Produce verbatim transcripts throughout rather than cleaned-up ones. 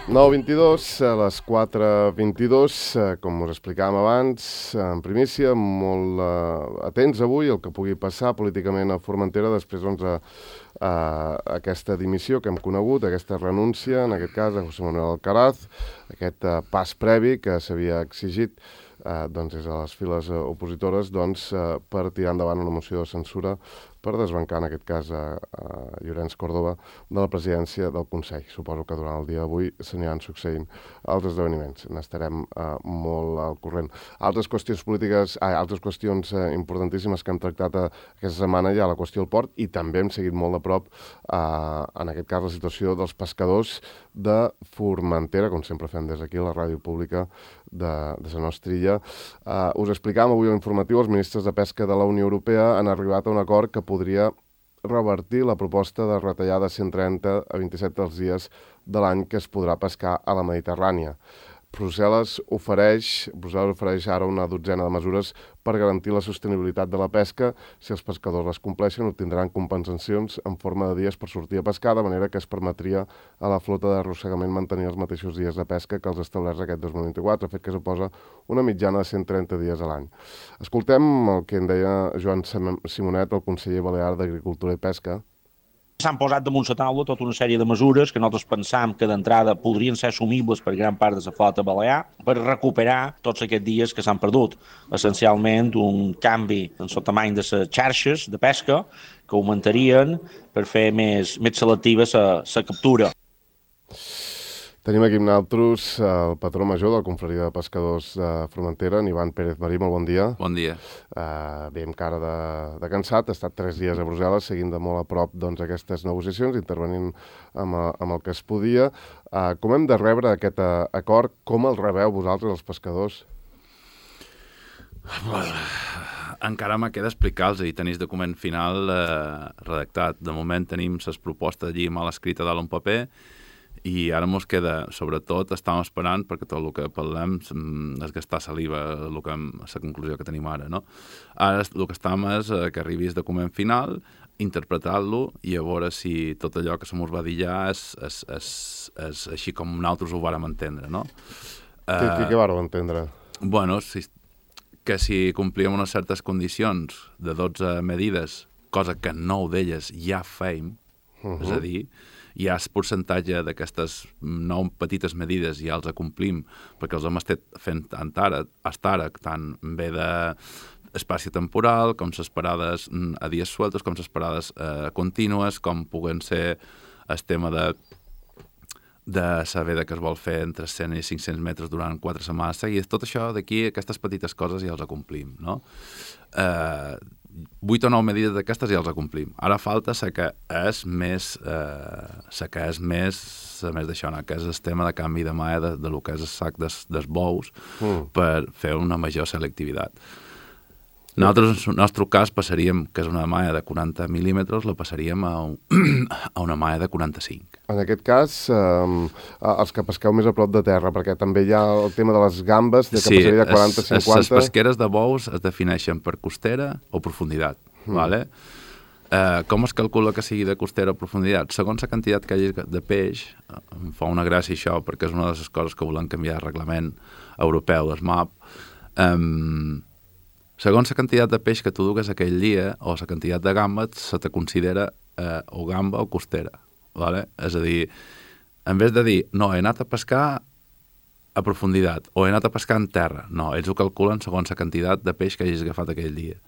nou vint-i-dos, a les quatre vint-i-dos, com us explicàvem abans, en primícia, molt uh, atents avui al que pugui passar políticament a Formentera després doncs, a, a aquesta dimissió que hem conegut, aquesta renúncia, en aquest cas, a José Manuel Alcaraz, aquest uh, pas previ que s'havia exigit uh, doncs, des de les files uh, opositores doncs, uh, per tirar endavant una moció de censura per desbancar, en aquest cas, a, a Llorenç Córdoba de la presidència del Consell. Suposo que durant el dia d'avui s'aniran succeint els esdeveniments. N'estarem uh, molt al corrent. Altres qüestions polítiques, ah, altres qüestions uh, importantíssimes que hem tractat uh, aquesta setmana hi ha la qüestió del port i també hem seguit molt de prop, uh, en aquest cas, la situació dels pescadors de Formentera, com sempre fem des d'aquí, la ràdio pública de, de la nostra illa. Uh, us explicàvem avui a l'informatiu, els ministres de Pesca de la Unió Europea han arribat a un acord que podria revertir la proposta de retallar de cent trenta a vint-i-set els dies de l'any que es podrà pescar a la Mediterrània. Brussel·les ofereix, Brussel·les ofereix ara una dotzena de mesures per garantir la sostenibilitat de la pesca. Si els pescadors les compleixen, obtindran compensacions en forma de dies per sortir a pescar, de manera que es permetria a la flota d'arrossegament mantenir els mateixos dies de pesca que els establerts aquest dos mil vint-i-quatre, fet que suposa una mitjana de cent trenta dies a l'any. Escoltem el que en deia Joan Simonet, el conseller balear d'Agricultura i Pesca. S'han posat damunt la taula tota una sèrie de mesures que nosaltres pensam que d'entrada podrien ser assumibles per gran part de la flota balear per recuperar tots aquests dies que s'han perdut. Essencialment un canvi en el tamany de les xarxes de pesca que augmentarien per fer més, més selectiva la captura. Tenim aquí amb nosaltres el patró major de la Confraria de Pescadors de Formentera, en Ivan Pérez Marí. Molt bon dia. Bon dia. Uh, bé, amb cara de, de cansat, ha estat tres dies a Brussel·les, seguint de molt a prop doncs, aquestes negociacions, intervenint amb, amb el que es podia. Uh, com hem de rebre aquest uh, acord? Com el rebeu vosaltres, els pescadors? Encara me queda explicar-los i tenis document final eh, redactat. De moment tenim les propostes allí mal escrita dalt un paper i ara ens queda, sobretot, estem esperant, perquè tot el que parlem és gastar saliva, el que, la conclusió que tenim ara, no? Ara el que estem és que arribi el document final, interpretar-lo i a veure si tot allò que se mos va dir ja és, és, és, és així com nosaltres ho vàrem entendre, no? Què, uh, què vàreu entendre? Bueno, si, que si complíem unes certes condicions de dotze medides, cosa que nou d'elles ja feim, uh-huh. És a dir, hi ha el percentatge d'aquestes nou petites medides i ja els acomplim, perquè els hem estat fent tant ara, hasta ara, tant bé d'espai temporal, com les parades a dies sueltes, com les parades eh, contínues, com puguen ser el tema de de saber que es vol fer entre cent i cinc-cents metres durant quatre setmanes seguides. Tot això d'aquí, aquestes petites coses ja els acomplim, no? Eh, vuit o nou medides d'aquestes ja els acomplim. Ara falta la que és més, eh, la que és més, més d'això, no? Que és el tema de canvi de mà de, de lo que és el sac des, dels bous mm. per fer una major selectivitat. Nosaltres, en el nostre cas, passaríem, que és una malla de quaranta mil·límetres, la passaríem a, un, a una malla de quaranta-cinc. En aquest cas, eh, els que pesqueu més a prop de terra, perquè també hi ha el tema de les gambes, de que sí, passaria de quaranta a cinquanta... Sí, les pesqueres de bous es defineixen per costera o profunditat, mm. vale? Eh, com es calcula que sigui de costera o profunditat? Segons la quantitat que hi hagi de peix, em fa una gràcia això, perquè és una de les coses que volem canviar el reglament europeu, el M A P. Eh, segons la quantitat de peix que tu dugues aquell dia o la quantitat de gambes, se te considera eh, o gamba o costera. Vale? És a dir, en vez de dir, no, he anat a pescar a profunditat o he anat a pescar en terra, no, ells ho calculen segons la quantitat de peix que hagis agafat aquell dia.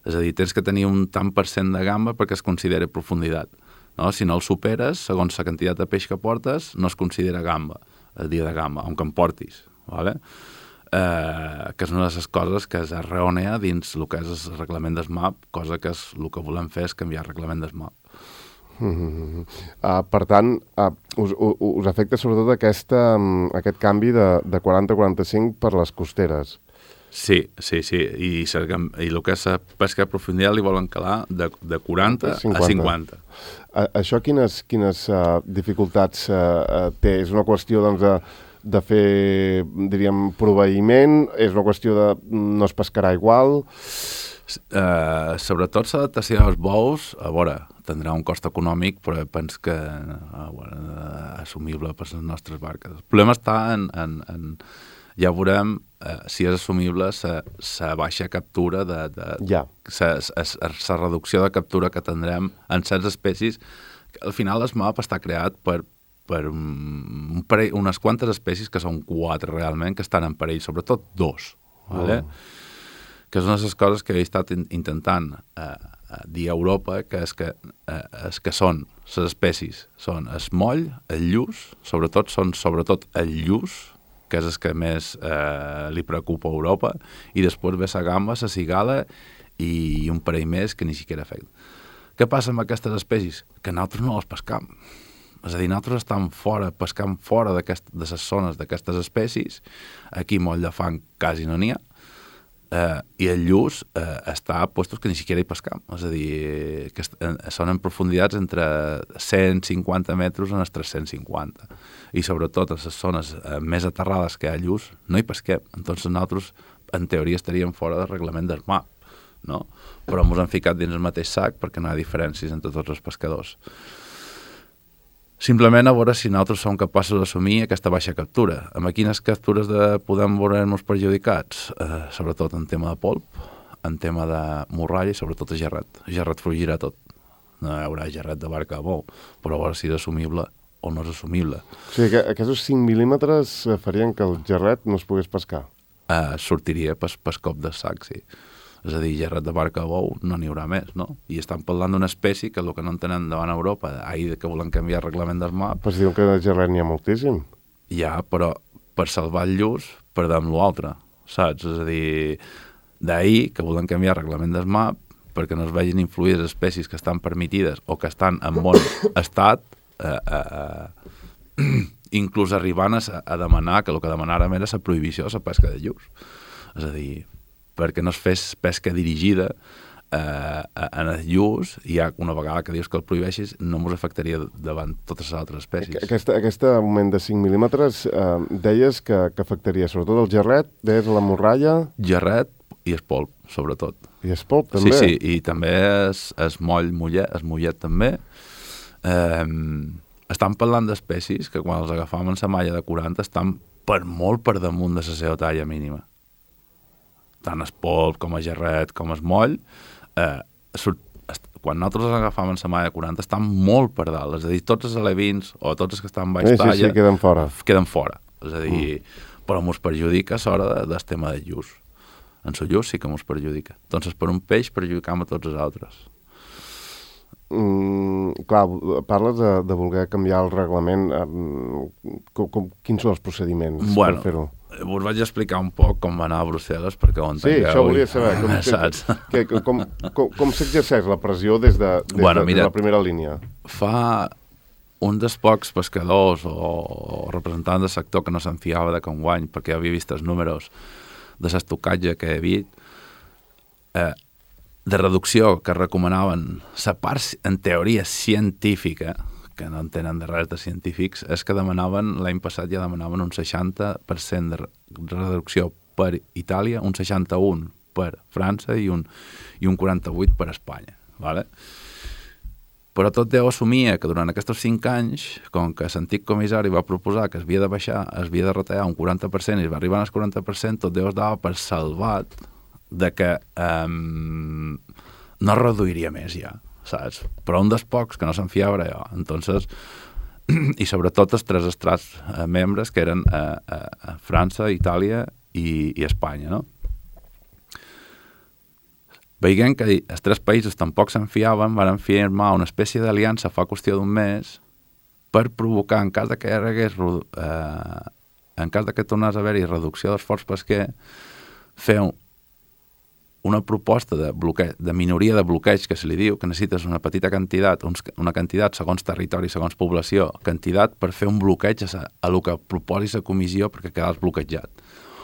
És a dir, tens que tenir un tant per cent de gamba perquè es considera profunditat. No? Si no el superes, segons la quantitat de peix que portes, no es considera gamba, el dia de gamba, on que en portis. Vale? Eh, que és una de les coses que és errònia dins el que és el reglament del M A P, cosa que és el que volem fer és canviar el reglament del M A P. Mm-hmm. Uh, per tant, uh, us, us, us afecta sobretot aquesta, um, aquest canvi de, de quaranta a quaranta-cinc per les costeres. Sí, sí, sí, i, i el que és la pesca de profunditat li volen calar de, de quaranta a cinquanta. Uh, això quines, quines uh, dificultats uh, té? És una qüestió, doncs, de, de fer, diríem, proveïment? És una qüestió de no es pescarà igual? Uh, sobretot l'adaptació dels bous, a veure, tindrà un cost econòmic, però penso que eh, bueno, assumible per les nostres barques. El problema està en, en, en ja veurem eh, si és assumible la baixa captura de, de ja. la reducció de captura que tindrem en certes espècies. Al final el map està creat per, per un parell, unes quantes espècies, que són quatre realment, que estan en perill, sobretot dos, vale? Mm. Que és una de les coses que he estat intentant eh, dir a Europa, que és que, eh, és que són les espècies, són el moll, el lluç, sobretot són sobretot el lluç, que és el que més eh, li preocupa a Europa, i després ve la gamba, la cigala i un parell més que ni siquiera afecta. Què passa amb aquestes espècies? Que nosaltres no les pescam. És a dir, nosaltres estem fora, pescant fora de les zones d'aquestes espècies. Aquí moll de fang quasi no n'hi ha. Uh, i el lluç uh, està a puestos que ni siquiera hi pescam. És a dir, que uh, són en profunditats entre cent cinquanta metres en els tres-cents cinquanta. I sobretot en les zones uh, més aterrades que hi ha lluç, no hi pesquem. Entonces nosaltres, en teoria, estaríem fora del reglament del mar, no? Però ens han ficat dins el mateix sac perquè no hi ha diferències entre tots els pescadors. Simplement a veure si nosaltres som capaços d'assumir aquesta baixa captura. Amb quines captures de podem veure-nos perjudicats? Eh, sobretot en tema de polp, en tema de morralla i sobretot de gerret. Gerret fugirà tot. No hi haurà gerret de barca a bou, però a veure si és assumible o no és assumible. O sigui que aquests cinc mil·límetres farien que el gerret no es pogués pescar? Eh, sortiria per, per cop de sac, sí. És a dir, gerret de barca a bou no n'hi haurà més, no? I estan parlant d'una espècie que el que no entenen davant Europa, ahir que volen canviar el reglament del mar... Però si diuen que de gerret n'hi ha moltíssim. Ja, però per salvar el lluç perdem l'altre, saps? És a dir, d'ahir que volen canviar el reglament del mar perquè no es vegin influïdes espècies que estan permitides o que estan en bon estat, eh, eh, eh, inclús arribant a, a demanar, que el que demanàrem era la prohibició de la pesca de lluç. És a dir, perquè no es fes pesca dirigida eh, en el lluç, i ja una vegada que dius que el prohibeixis no ens afectaria davant totes les altres espècies. Aquesta, aquest augment de cinc mil·límetres eh, deies que, que afectaria sobretot el gerret, deies la morralla... Gerret i el polp, sobretot. I el polp també? Sí, sí, i també es, es moll mollet, es mollet també. Eh, estan parlant d'espècies que quan els agafam en la malla de quaranta estan per molt per damunt de la seva talla mínima. Tant el polp com el gerret com el moll, eh, surt, quan nosaltres els agafam en la malla de quaranta estan molt per dalt, és a dir, tots els alevins o tots els que estan baix sí, talla sí, sí, queden fora. Queden fora, és a dir, mm. però ens perjudica a l'hora de, del tema del lluç. En el lluç sí que ens perjudica. Doncs per un peix perjudicam a tots els altres. Mm, clar, parles de, de voler canviar el reglament. Um, com, com, quins són els procediments bueno, per fer-ho? Us vaig explicar un poc com va anar a Brussel·les perquè ho entengueu. Sí, això volia saber. Com, saps? Que, que, com com, com s'exerceix la pressió des de, des bueno, de, mira, de la primera línia? Fa un dels pocs pescadors o, o representants del sector que no se'n fiava de com guany, perquè havia vist els números de l'estocatge que hi havia, eh, de reducció que recomanaven la part, en teoria, científica, que no en tenen de res de científics, és que demanaven, l'any passat ja demanaven un seixanta per cent de reducció per Itàlia, un seixanta-un per França i un, i un quaranta-vuit per Espanya. ¿Vale? Però tot deu assumir que durant aquests cinc anys, com que l'antic comissari va proposar que es havia de baixar, es havia de retallar un quaranta per cent i es va arribar al quaranta per cent, tot deu es dava per salvat de que um, no reduiria més ja, saps? Però un dels pocs que no se'n fiava era jo. Entonces, i sobretot els tres estrats eh, membres que eren eh, eh, França, Itàlia i, i Espanya, no? Veient que els tres països tampoc se'n fiaven, van firmar una espècie d'aliança fa qüestió d'un mes per provocar, en cas de que hi hagués, eh, en cas de que tornés a haver-hi reducció d'esforç pesquer, fer un, una proposta de, bloqueig, de minoria de bloqueig, que se li diu, que necessites una petita quantitat, uns, una quantitat segons territori, segons població, quantitat per fer un bloqueig a, a el que proposi la comissió perquè quedàs bloquejat.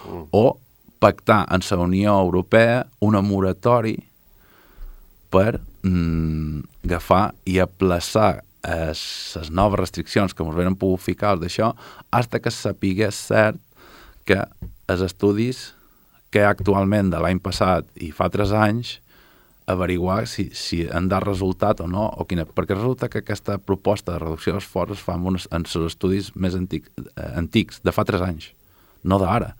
Mm. O pactar en la Unió Europea una moratori per mm, agafar i aplaçar les noves restriccions que ens venen pogut ficar d'això fins que sapigués cert que els estudis que actualment de l'any passat i fa tres anys averiguar si, si han de resultat o no, o quina, perquè resulta que aquesta proposta de reducció d'esforç es fa en, uns, en els estudis més antic, eh, antics, de fa tres anys, no d'ara.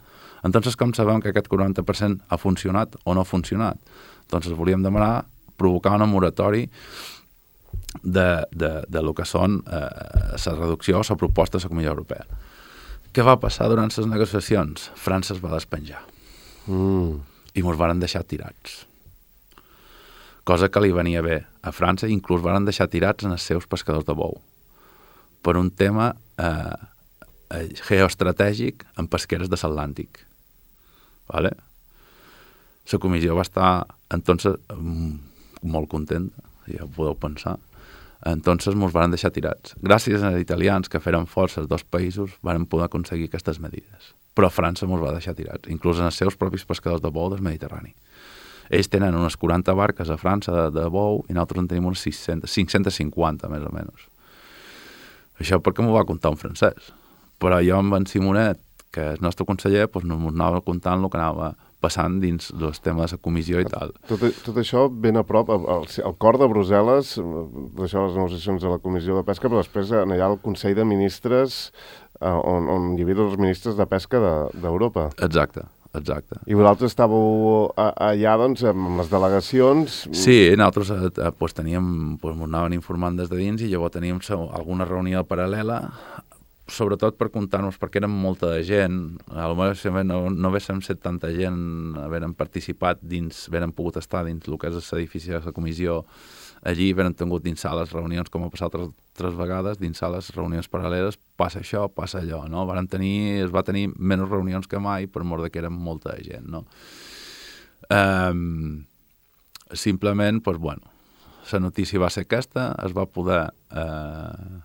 Entonces, com sabem que aquest quaranta per cent ha funcionat o no ha funcionat? Doncs volíem demanar provocar una moratori de, de, de lo que són eh, la reducció o la proposta de la Comissió Europea. Què va passar durant les negociacions? França es va despenjar. Mm. I ens van deixar tirats. Cosa que li venia bé a França, inclús van deixar tirats en els seus pescadors de bou, per un tema eh, geoestratègic en pesqueres de l'Atlàntic. Vale? La comissió va estar entonces molt contenta, ja ho podeu pensar. Entonces ens van deixar tirats. Gràcies als italians que feren força els dos països van poder aconseguir aquestes medides. Però França ens va deixar tirats, inclús en els seus propis pescadors de bou del Mediterrani. Ells tenen unes quaranta barques a França de, de bou i nosaltres en tenim unes sis-centes, cinc-cents cinquanta, més o menys. Això perquè m'ho va contar un francès. Però jo amb en Simonet, que és el nostre conseller, doncs no m'anava contant el que anava passant dins els temes de la comissió i tal. Tot, tot això ben a prop, al, al cor de Brussel·les, d'això les negociacions de la Comissió de Pesca, però després allà al Consell de Ministres, on, on hi havia els ministres de pesca d'Europa. De, Exacte. Exacte. I vosaltres estàveu allà, doncs, amb les delegacions... Sí, nosaltres eh, pues, teníem, pues, ens anaven informant des de dins i llavors teníem alguna reunió paral·lela, sobretot per comptar-nos, perquè érem molta de gent, potser no, no haguéssim set tanta gent, haguérem participat dins, haguérem pogut estar dins el que és l'edifici de la comissió, allí haguérem tingut dins sales reunions, com ha passat tres, tres vegades, dins sales reunions paral·leles, passa això, passa allò, no? Varen tenir, es va tenir menys reunions que mai, per mort de que érem molta de gent, no? Um, simplement, doncs, bueno, la notícia va ser aquesta, es va poder eh,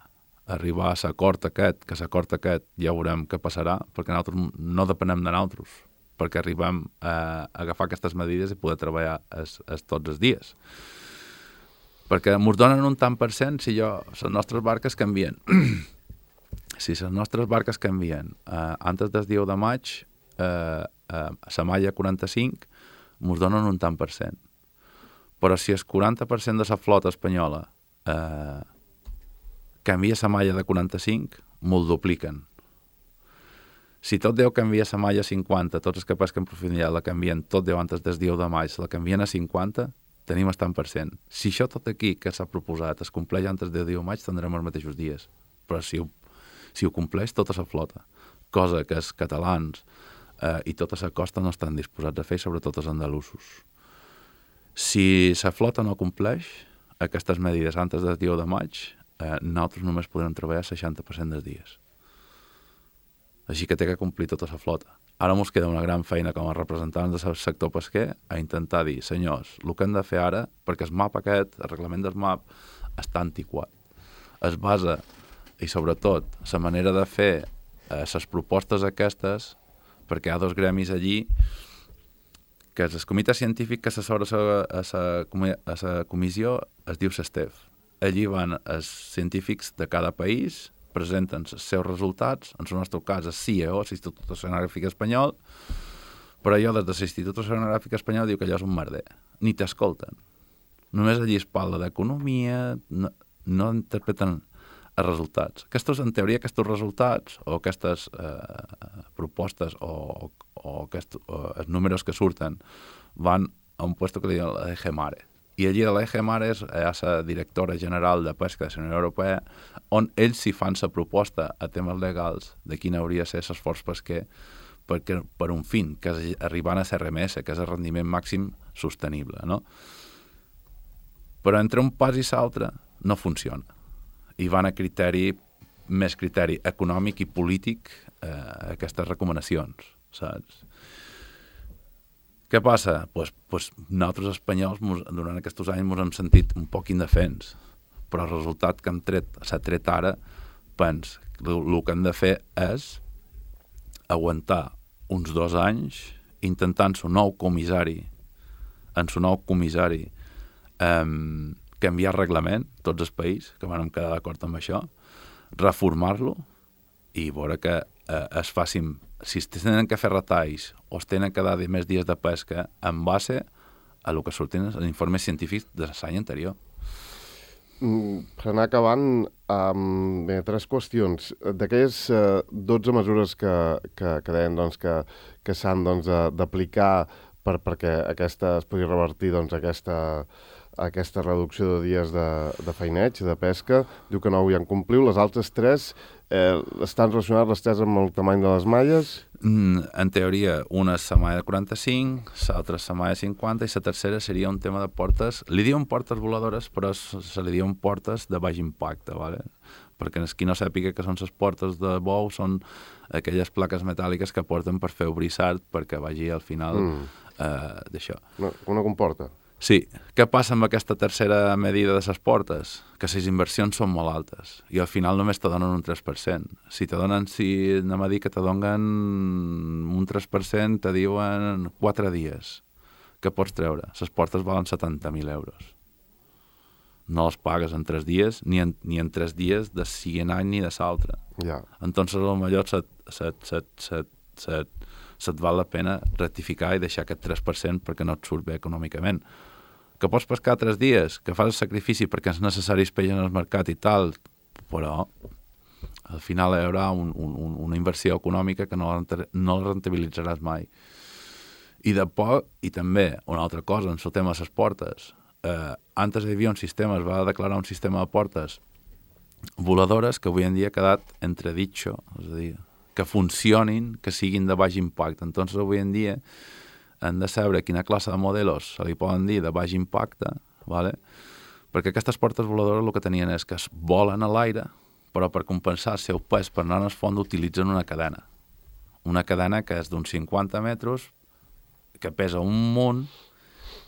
arribar a l'acord aquest, que l'acord aquest ja veurem què passarà, perquè nosaltres no depenem de nosaltres, perquè arribem a agafar aquestes medides i poder treballar es, es tots els dies. Perquè ens donen un tant per cent si jo, les nostres barques canvien. Si les nostres barques canvien eh, antes del dia de maig, eh, eh, la malla quaranta-cinc, ens donen un tant per cent. Però si el quaranta per cent de la flota espanyola eh, canvia la malla de quaranta-cinc, me'l dupliquen. Si tot Déu canvia la malla a cinquanta, tots els que pesquen profunditat la canvien tot Déu antes del dia de maig, la canvien a cinquanta, tenim el tant per cent. Si això tot aquí que s'ha proposat es compleix antes del dia de maig, tindrem els mateixos dies. Però si ho, si ho compleix tota la flota, cosa que els catalans eh, i tota la costa no estan disposats a fer, sobretot els andalusos. Si la flota no compleix aquestes medides antes del dia de maig, eh, nosaltres només podrem treballar el seixanta per cent dels dies. Així que té que complir tota la flota. Ara ens queda una gran feina com a representants del sector pesquer a intentar dir, senyors, el que hem de fer ara, perquè el map aquest, el reglament del map, està antiquat. Es basa, i sobretot, la manera de fer les eh, propostes aquestes, perquè hi ha dos gremis allí, que és el comitè científic que assessora a la comissió es diu SESTEF. Allí van els científics de cada país, presenten els seus resultats, en el nostre cas és C I E O, l'Institut Oceanogràfic Espanyol, però jo des de l'Institut Oceanogràfic Espanyol diu que allò és un merder. Ni t'escolten. Només allí es parla d'economia, no, no interpreten els resultats. Aquests, en teoria, aquests resultats o aquestes eh, propostes o, o, aquests, o els números que surten van a un lloc que li diuen l'E G Mare. I allí a l'E G Mare és la directora general de pesca de la Unió Europea, on ells s'hi fan la proposta a temes legals de quin hauria de ser l'esforç pesquer perquè, per un fin, que és arribant a R M S, que és el rendiment màxim sostenible, no? Però entre un pas i l'altre no funciona. I van a criteri, més criteri econòmic i polític eh, aquestes recomanacions, saps? Què passa? Pues, pues nosaltres espanyols mos, durant aquests anys ens hem sentit un poc indefens, però el resultat que hem tret, s'ha tret ara, pens, el, el que hem de fer és aguantar uns dos anys intentant su nou comissari, en su nou comissari, eh, canviar reglament, tots els països que vam quedar d'acord amb això, reformar-lo i veure que eh, es facin, si es tenen que fer retalls o es tenen que dar més dies de pesca en base a el que sortien els informes científics de l'any anterior. Mm, per anar acabant, um, bé, tres qüestions. D'aquelles uh, dotze mesures que, que, que deien doncs, que, que s'han doncs, d'aplicar per, perquè aquesta es pugui revertir doncs, aquesta, aquesta reducció de dies de, de feineig, de pesca, diu que no ho hi han compliu. Les altres tres eh, estan relacionades les tres amb el tamany de les malles? Mm, en teoria, una és la malla de quaranta-cinc, l'altra és la malla de cinquanta i la tercera seria un tema de portes. Li diuen portes voladores, però se li diuen portes de baix impacte, ¿vale? Perquè qui no sàpiga que són les portes de bou són aquelles plaques metàl·liques que porten per fer brissart perquè vagi al final mm. eh, d'això. No, una comporta? Sí. Què passa amb aquesta tercera medida de les portes? Que les inversions són molt altes i al final només te donen un tres per cent. Si te donen, si anem a dir que te donen un tres per cent, te diuen quatre dies. Què pots treure? Les portes valen setanta mil euros. No les pagues en tres dies, ni en, ni en tres dies de siguent any ni de l'altre. Ja. Entonces, a lo millor set, set, set, set, set, se't val la pena rectificar i deixar aquest tres per cent perquè no et surt bé econòmicament. Que pots pescar tres dies, que fas el sacrifici perquè és necessari el peix en el mercat i tal, però al final hi haurà un, un, una inversió econòmica que no la, no la rentabilitzaràs mai. I de poc, i també una altra cosa en el tema de les portes. Eh, antes hi havia un sistema, es va declarar un sistema de portes voladores que avui en dia ha quedat entreditxo, és a dir, que funcionin, que siguin de baix impacte. Entonces, avui en dia, hem de saber quina classe de modelos se li poden dir de baix impacte, ¿vale? Perquè aquestes portes voladores el que tenien és que es volen a l'aire, però per compensar el seu pes per anar al fons utilitzen una cadena. Una cadena que és d'uns cinquanta metres, que pesa un munt,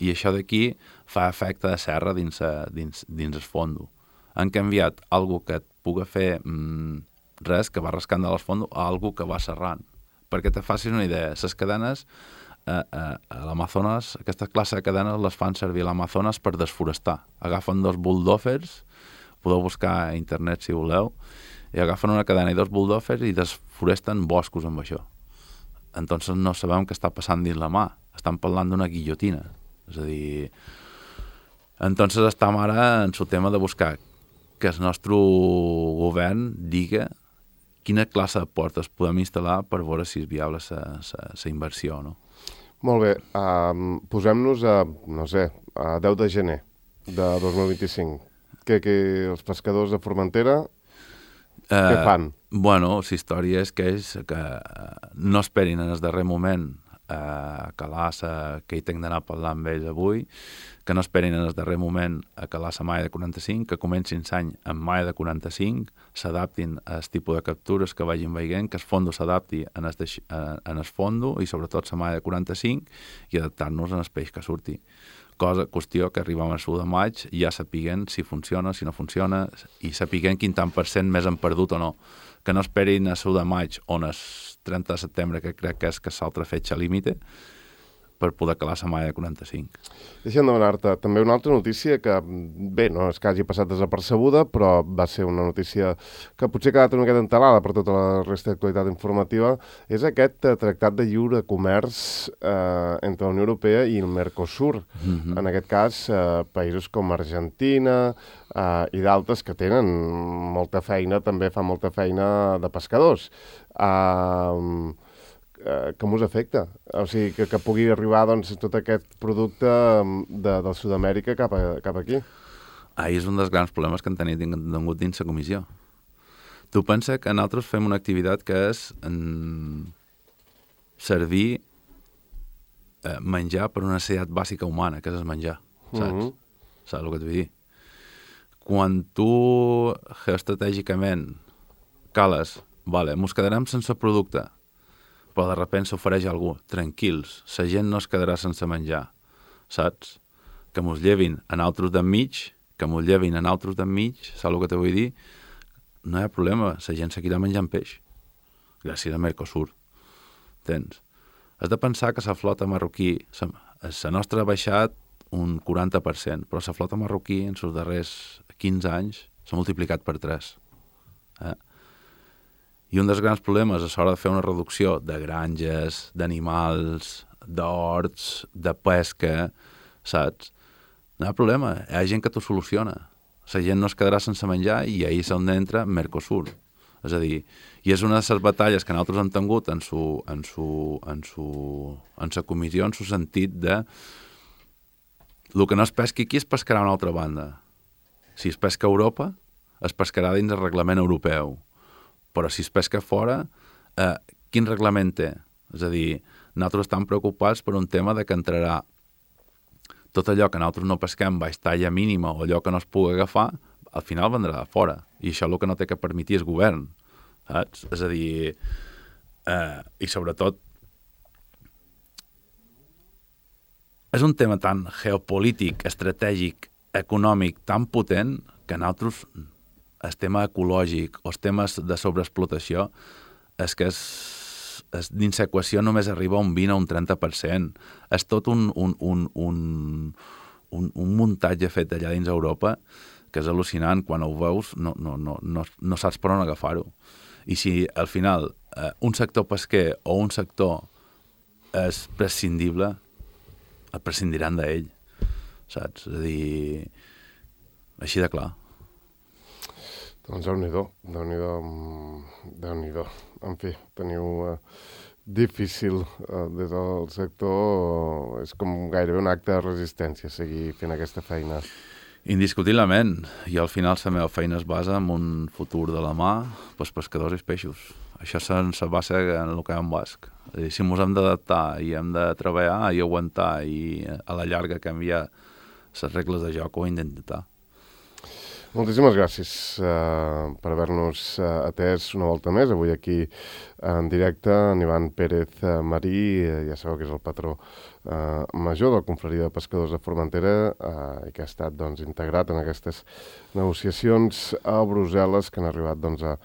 i això d'aquí fa efecte de serra dins, dins, dins el fondo. Han canviat algo que et puga fer mmm, res, que va rascant de l'esfondo, a algo que va serrant. Perquè te facis una idea, les cadenes eh, eh, a l'Amazones, aquesta classe de cadenes les fan servir a l'Amazones per desforestar. Agafen dos bulldozers, podeu buscar a internet si voleu, i agafen una cadena i dos bulldozers i desforesten boscos amb això. Entonces no sabem què està passant dins la mà. Estan parlant d'una guillotina. És a dir, entonces estem ara en el tema de buscar que el nostre govern diga quina classe de portes podem instal·lar per veure si és viable la inversió, no? Molt bé. Um, posem-nos a, no sé, a deu de gener de dos mil vint-i-cinc. Que, que els pescadors de Formentera, uh, què fan? Bueno, la història és que ells que no esperin en el darrer moment a calar sa, que hi tinc d'anar a parlar amb ells avui, que no esperin en el darrer moment a calar la malla de quaranta-cinc, que comencin l'any amb malla de quaranta-cinc, s'adaptin al tipus de captures que vagin veient, que el fondo s'adapti en, en el fondo i sobretot la malla de quaranta-cinc i adaptar-nos en el peix que surti. Cosa, qüestió que arribem al de maig i ja sapiguen si funciona, si no funciona i sapiguen quin tant per cent més han perdut o no. Que no esperin a de maig on el trenta de setembre, que crec que és que l'altra fetge límite, per poder calar la malla de quaranta-cinc. Deixa'm demanar-te també una altra notícia que, bé, no és que hagi passat desapercebuda, però va ser una notícia que potser ha quedat una miqueta entelada per tota la resta d'actualitat informativa, és aquest eh, tractat de lliure comerç eh, entre la Unió Europea i el Mercosur. Mm-hmm. En aquest cas, eh, països com Argentina eh, i d'altres que tenen molta feina, també fan molta feina de pescadors. Eh... com us afecta? O sigui, que, que pugui arribar doncs, tot aquest producte de, de Sud-amèrica cap, a, cap aquí. Ah, és un dels grans problemes que han tenit tingut dins la comissió. Tu pensa que nosaltres fem una activitat que és en... servir eh, menjar per una necessitat bàsica humana, que és el menjar, saps? Mm-hmm. Saps el que et vull dir? Quan tu geoestratègicament cales, vale, mos quedarem sense producte, però de repente s'ofereix algú, tranquils, la gent no es quedarà sense menjar, saps? Que mos llevin en altres d'enmig, que mos llevin en altres d'enmig, saps el que te vull dir? No hi ha problema, la gent seguirà menjant peix, gràcies a Mercosur, entens? Has de pensar que la flota marroquí, la nostra ha baixat un quaranta per cent, però la flota marroquí en els darrers quinze anys s'ha multiplicat per tres, eh? I un dels grans problemes és l'hora de fer una reducció de granges, d'animals, d'horts, de pesca, saps? No hi ha problema, hi ha gent que t'ho soluciona. La gent no es quedarà sense menjar i ahir és on entra Mercosur. És a dir, i és una de les batalles que nosaltres hem tingut en su, en su, en su, en sa comissió, en su sentit de el que no es pesqui aquí es pescarà a una altra banda. Si es pesca a Europa, es pescarà dins el reglament europeu. Però si es pesca fora, eh, quin reglament té? És a dir, nosaltres estem preocupats per un tema de que entrarà tot allò que nosaltres no pesquem baix talla mínima o allò que no es pugui agafar, al final vendrà de fora. I això el que no té que permetir és govern. Saps? És a dir, eh, i sobretot, és un tema tan geopolític, estratègic, econòmic, tan potent, que nosaltres el tema ecològic o els temes de sobreexplotació és que és, és, dins l'equació només arriba a un vint o un trenta per cent. És tot un, un, un, un, un, un muntatge fet allà dins Europa que és al·lucinant. Quan ho veus no, no, no, no, no saps per on agafar-ho. I si al final eh, un sector pesquer o un sector és prescindible, el prescindiran d'ell, saps? És a dir, així de clar. Doncs Déu-n'hi-do, Déu-n'hi-do, Déu-n'hi-do. En fi, teniu eh, difícil eh, des del sector, és com gairebé un acte de resistència seguir fent aquesta feina. Indiscutiblement, i al final la meva feina es basa en un futur de la mà pels pescadors i els peixos. Això se basa en el que hi ha en basc. És a dir, si ens hem d'adaptar i hem de treballar i aguantar i a la llarga canviar les regles de joc o intentar. Moltíssimes gràcies uh, per haver-nos uh, atès una volta més. Avui aquí en directe en Ivan Pérez uh, Marí, uh, ja sabeu que és el patró uh, major de la Confraria de Pescadors de Formentera uh, i que ha estat doncs, integrat en aquestes negociacions a Brussel·les que han arribat doncs, a,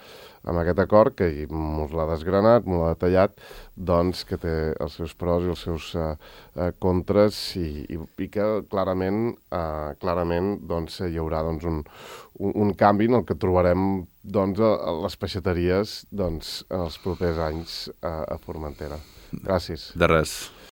amb aquest acord que ens l'ha desgranat, ens l'ha detallat, doncs, que té els seus pros i els seus uh, uh, contres i, i, i que clarament, uh, clarament doncs, hi haurà doncs, un, un, un canvi en el que trobarem doncs, a, a les peixateries doncs, en els propers anys uh, a Formentera. Gràcies. De res.